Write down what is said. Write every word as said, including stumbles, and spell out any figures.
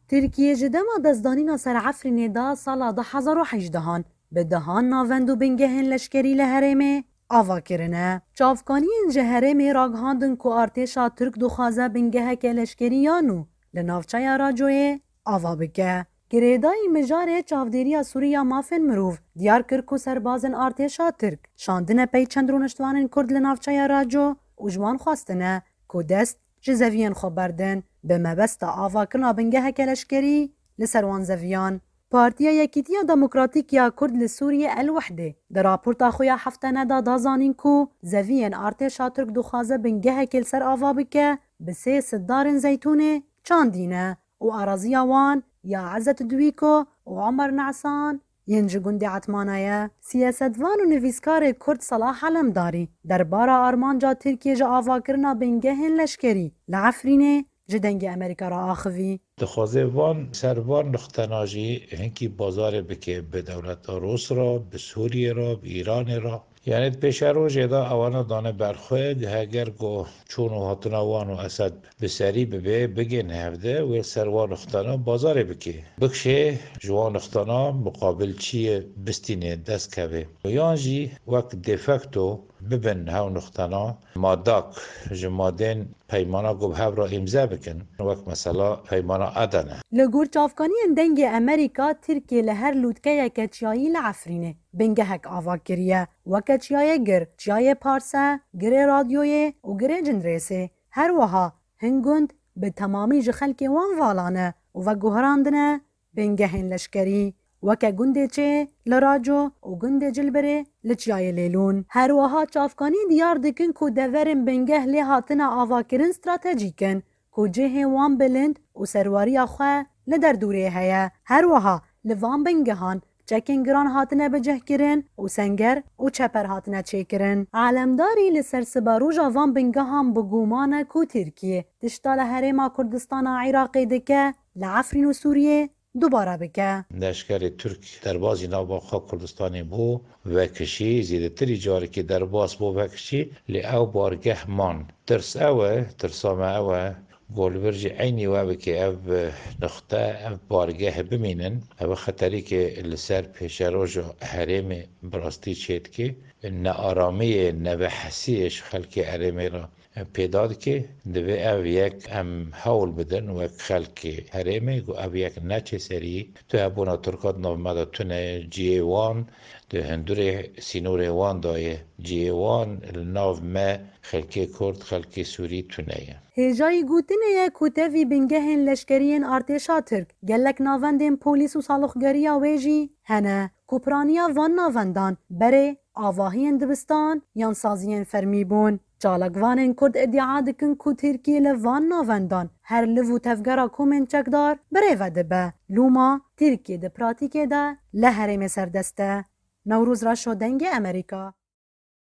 Tirkiye ji dema destdanîna ser Efrînê da sala du hezar û hejdehan bi dehan navend û bingehên leşkerî li herêmê ava kirine. Çavkaniyên ji herêmê ragihandin ku artêşa Tirk dixwaze bingeheke leşkerî ya nû li navçeya Racoyê ava bike. Girêdayî mijarê Çavdêriya Sûrî ya Mafên Mirov diyar kir ku serbazên artêşa Tirk şandine pey çend rûniştvanên Kurd li navçeya Raco û ji wan xwestine ku dest ji zeviyên xwe berdin, bi mebesta avakirina bingeheke leşkerî li ser wan zeviyan. Partiya Yekîtiya Demokratîk ya Kurd li Sûriyê El Wehdê di raporta xwe ya heftene de da zanîn ku zeviyên artêşa Tirk dixwaze bingehekê li ser ava bike, bi sê sitdarên zeytûnê çandîne û araziya wan ya Ezet Duwîko û Omer Nesan yên ji gundê Etmana ye. Siyasetvan û nivîskarê Kurd Salah Alemdarî derbara armanca Tirkiye ji avakirina bingehên leşkerî li Efrînê ji Dengê Amerîka re axivî. Dixwaze van ser van nixtena jî hinkî bazarê bike bi dewleta Rûs re, bi Sûriyê re, bi Îranê re. Yanî di pêşerojê de ewana dane ber xwe, heger ku çûn û hatina wan û Esed bi serî bibe, bigên hevde wê ser wan nixtena bazarê bike. Bikşê ji wan nixtena muqabil çi ye bistîne dest keve. Yan jî wek de facto bibin hew nixtena madak ji madên peymana ku bi hev re îmze bikin, wek mesela peymana Edene. Li gor çavkaniyên Dengê Amerîka, Tirkiye li her lûtkeyeke çiyayî li Efrînê bingehek ava kiriye, weke Çiyayê Gir, Çiyayê Parse, Girê Radyoyê û Girê Cindirêsê. Her wiha hin gund bi temamî ji xelkê wan vala ne û veguherandine bingehên leşkerî, weke gundê Çê li Raco û gundê Cilbirê li Çiyayê Lêlûn. Her wiha çavkanî diyar dikin ku deverên bingeh lê hatine avakirin stratejîk in, ku cihê wan bilind û serwariya xwe li derdorê heye. Her wiha li van bingehan çekên giran hatine bicihkirin û senger û çeper hatine çêkirin. Alemdarî li ser siberoja van bingehan bi guman e ku Tirkiye tişta li Herêma Kurdistana Iraqê dike, li Efrîn û Sûriyê dubare bike. Leşkerê Tirk derbazî nava xwe Kurdistanê bû vekişî, zêdetirî carekê derbas bû vekişî, lê ew bargeh man. Tirs ew e, tirsa me ew e, ku li vir jî eynî we bike ev nixte, ev bargeh bimînin. Ev xeterîkê li ser pêşeroja herêmê bi rastî çêdike. Nearamiyê, nevehesiyê ji xelkê herêmê re pêda dike. Divê ev yek em hewl bidin wek xelkê herêmê ku ev yek neçe serî. Tu hebûna Tirka di nav me de tune ye, cihê wan di hundurê sînorê wan de ye. Cihê wan li nav me, xelkê Kurd, xelkê Sûrî tune ye. Hêjayî gotinê ye ku tevî bingehên leşkerî yên artêşa Tirk, gelek navendên polîs û saloxgeriya wê jî hene ku piraniya van navendan berê avahiyên dibistan yan saziyên fermî bûn. Çalakvanên Kurd îdia dikin ku Tirkiye li van navendan her liv û tevgera komên çekdar birêve dibe. Loma Tirkiye di pratîkê de li herêmê serdest e. Newroz Reşo, Dengê Amerîka.